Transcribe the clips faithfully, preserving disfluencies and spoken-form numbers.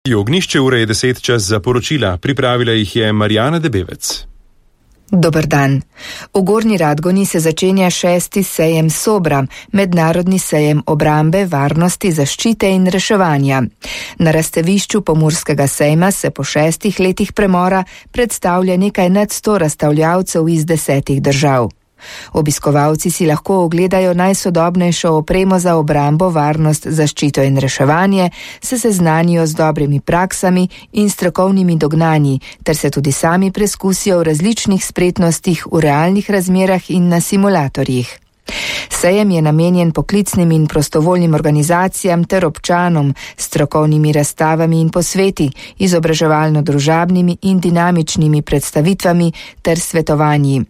Ognišče ure je deset čas za poročila, pripravila jih je Marjana Debevec. Dober dan. V Gornji Radgoni se začenja šesti sejem Sobra, mednarodni sejem obrambe, varnosti, zaščite in reševanja. Na razstavišču Pomurskega sejma se po šestih letih premora predstavlja nekaj nad sto razstavljavcev iz desetih držav. Obiskovalci si lahko ogledajo najsodobnejšo opremo za obrambo, varnost, zaščito in reševanje, se seznanijo z dobrimi praksami in strokovnimi dognanji, ter se tudi sami preskusijo v različnih spretnostih v realnih razmerah in na simulatorjih. Sejem je namenjen poklicnim in prostovoljnim organizacijam ter občanom, strokovnimi razstavami in posveti, izobraževalno-družabnimi in dinamičnimi predstavitvami ter svetovanji.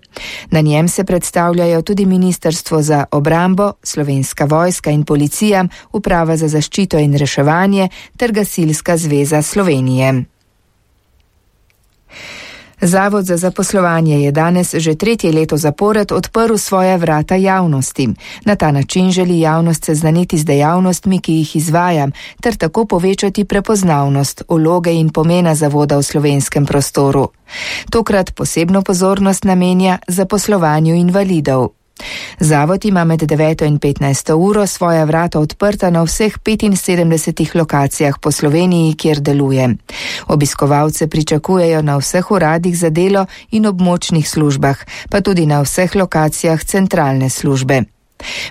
Na njem se predstavljajo tudi Ministrstvo za obrambo, Slovenska vojska in policija, Uprava za zaščito in reševanje ter Gasilska zveza Slovenije. Zavod za zaposlovanje je danes že tretje leto zapored odprl svoja vrata javnosti. Na ta način želi javnost seznaniti z dejavnostmi, ki jih izvaja, ter tako povečati prepoznavnost, vloge in pomena zavoda v slovenskem prostoru. Tokrat posebno pozornost namenja zaposlovanju invalidov. Zavod ima med deveto in petnajsto uro svoja vrata odprta na vseh petinsedemdesetih lokacijah po Sloveniji, kjer deluje. Obiskovalce pričakujejo na vseh uradih za delo in območnih službah, pa tudi na vseh lokacijah centralne službe.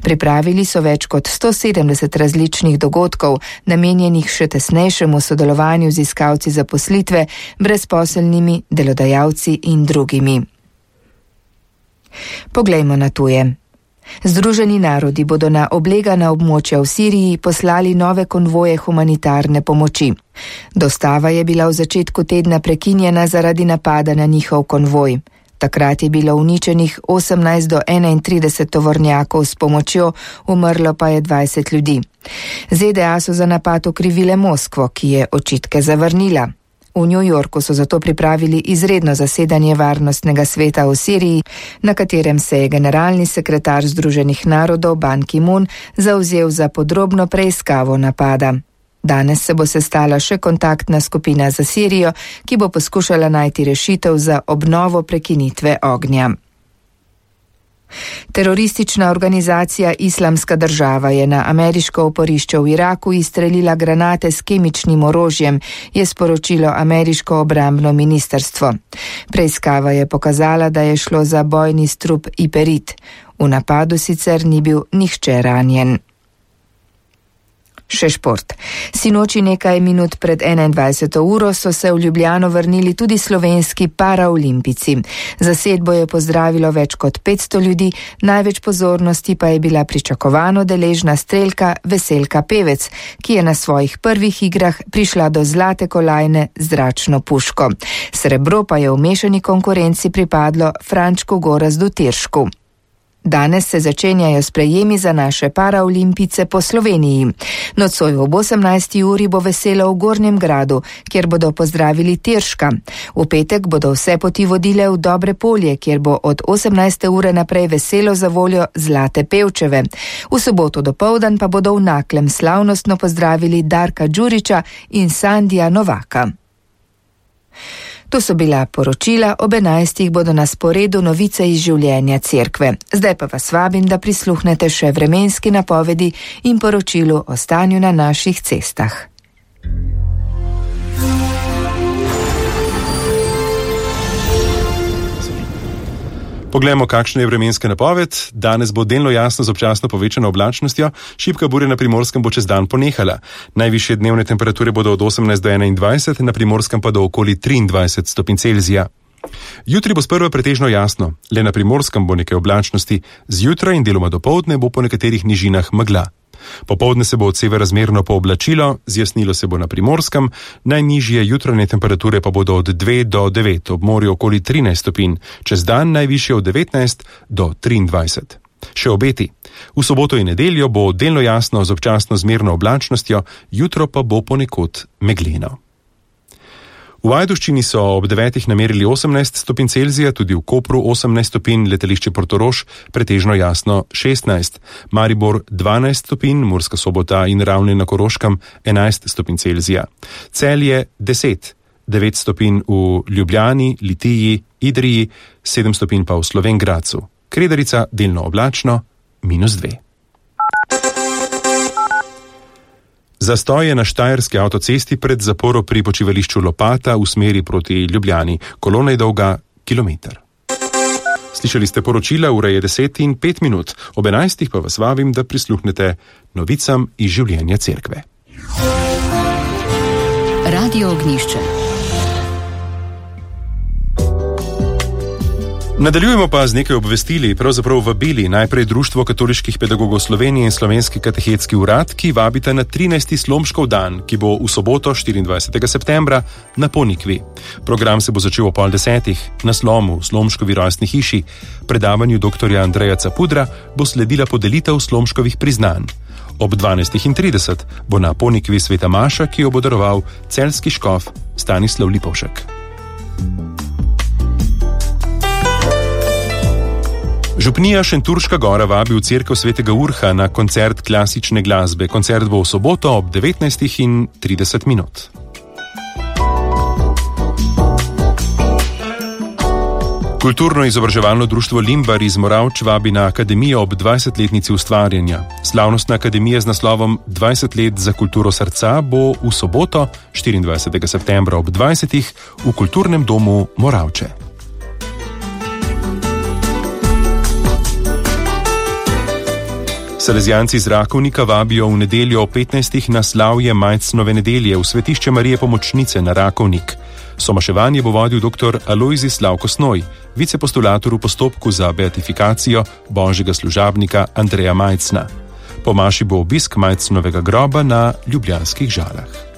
Pripravili so več kot sto sedemdeset različnih dogodkov, namenjenih še tesnejšemu sodelovanju z iskalci zaposlitve, brezposelnimi, delodajalci in drugimi. Poglejmo na tuje. Združeni narodi bodo na oblegana območja v Siriji poslali nove konvoje humanitarne pomoči. Dostava je bila v začetku tedna prekinjena zaradi napada na njihov konvoj. Takrat je bilo uničenih osemnajst do enaintrideset tovornjakov s pomočjo, umrlo pa je dvajset ljudi. Z D A so za napad okrivile Moskvo, ki je očitke zavrnila. V New Yorku so zato pripravili izredno zasedanje Varnostnega sveta v Siriji, na katerem se je generalni sekretar Združenih narodov Ban Ki-moon zavzel za podrobno preiskavo napada. Danes se bo sestala še kontaktna skupina za Sirijo, ki bo poskušala najti rešitev za obnovo prekinitve ognja. Teroristična organizacija Islamska država je na ameriško oporišče v Iraku izstrelila granate s kemičnim orožjem, je sporočilo ameriško obrambno ministrstvo. Preiskava je pokazala, da je šlo za bojni strup Iperit. V napadu sicer ni bil nihče ranjen. Še šport. Sinoči nekaj minut pred enaindvajseto uro so se v Ljubljano vrnili tudi slovenski paraolimpici. Zasedbo je pozdravilo več kot petsto ljudi, največ pozornosti pa je bila pričakovano deležna strelka Veselka Pevec, ki je na svojih prvih igrah prišla do zlate kolajne z zračno puško. Srebro pa je v mešani konkurenci pripadlo Frančku Gorazdu Tiršku. Danes se začenjajo sprejemi za naše paraolimpice po Sloveniji. Nocoj ob osemnajsti uri bo veselo v Gornjem Gradu, kjer bodo pozdravili Tirška. V petek bodo vse poti vodile v Dobre Polje, kjer bo od osemnajste ure naprej veselo za voljo Zlate Pevčeve. V soboto dopoldan pa bodo v Naklem slavnostno pozdravili Darka Đuriča in Sandija Novaka. To so bila poročila, ob enajstih bodo na sporedu novice iz življenja cerkve. Zdaj pa vas vabim, da prisluhnete še vremenski napovedi in poročilu o stanju na naših cestah. Poglejmo, kakšna je vremenska napoved. Danes bo delno jasno z občasno povečano oblačnostjo, šibka burja na Primorskem bo čez dan ponehala. Najvišje dnevne temperature bodo od osemnajst do enaindvajset, na Primorskem pa do okoli triindvajset stopinj Celzija. Jutri bo sprva pretežno jasno, le na Primorskem bo nekaj oblačnosti, zjutraj in deloma dopoldne bo po nekaterih nižinah megla. Popoldne se bo od severa zmerno pooblačilo, zjasnilo se bo na Primorskem, najnižje jutranje temperature pa bodo od dve do devet, ob morju okoli trinajst stopinj, čez dan najvišje od devetnajst do triindvajset. Še obeti. V soboto in nedeljo bo delno jasno z občasno zmerno oblačnostjo, jutro pa bo ponekod megleno. V Ajdovščini so ob devetih namerili osemnajst stopinj Celzija, tudi v Kopru osemnajst stopinj, letališče Portorož pretežno jasno šestnajst, Maribor dvanajst stopinj, Murska Sobota in Ravne na Koroškem enajst stopinj Celzija, Celje deset, devet stopinj v Ljubljani, Litiji, Idriji, sedem stopinj pa v Slovenj Gradcu, Kredarica delno oblačno minus dve. Zastoj je na štajerski avtocesti pred zaporo pri počivališču Lopata v smeri proti Ljubljani. Kolona je dolga kilometer. Slišali ste poročila, ura je deset in pet minut. Ob enajstih pa vas vabim, da prisluhnete novicam iz življenja cerkve. Radio Ognjišče. Nadaljujemo pa z nekaj obvestili, pravzaprav vabili, najprej Društvo katoliških pedagogov Slovenije in Slovenski katehetski urad, ki vabita na trinajsti Slomškov dan, ki bo v soboto štiriindvajsetega septembra na Ponikvi. Program se bo začel o pol desetih na Slomu, v Slomškovi rojstni hiši. Predavanju doktorja Andreja Capudra bo sledila podelitev Slomškovih priznanj. Ob dvanajstih trideset bo na Ponikvi sveta maša, ki jo bo daroval celjski škof Stanislav Lipovšek. Župnija Šentjurška Gora vabi v cerkev svetega Urha na koncert klasične glasbe. Koncert bo v soboto ob devetnajstih trideset minut. Kulturno-izobraževalno društvo Limbar iz Moravč vabi na akademijo ob dvajsetletnici ustvarjanja. Slavnostna akademija z naslovom dvajset let za kulturo srca bo v soboto štiriindvajsetega septembra ob dvajsetih v kulturnem domu Moravče. Salezijanci iz Rakovnika vabijo v nedeljo ob petnajstih na slavje Majcnove nedelje v svetišče Marije Pomočnice na Rakovnik. Somaševanje bo vodil dr. Alojzij Slavko Snoj, vicepostulator v postopku za beatifikacijo božjega služabnika Andreja Majcna. Po maši bo obisk Majcnovega groba na Ljubljanskih Žalah.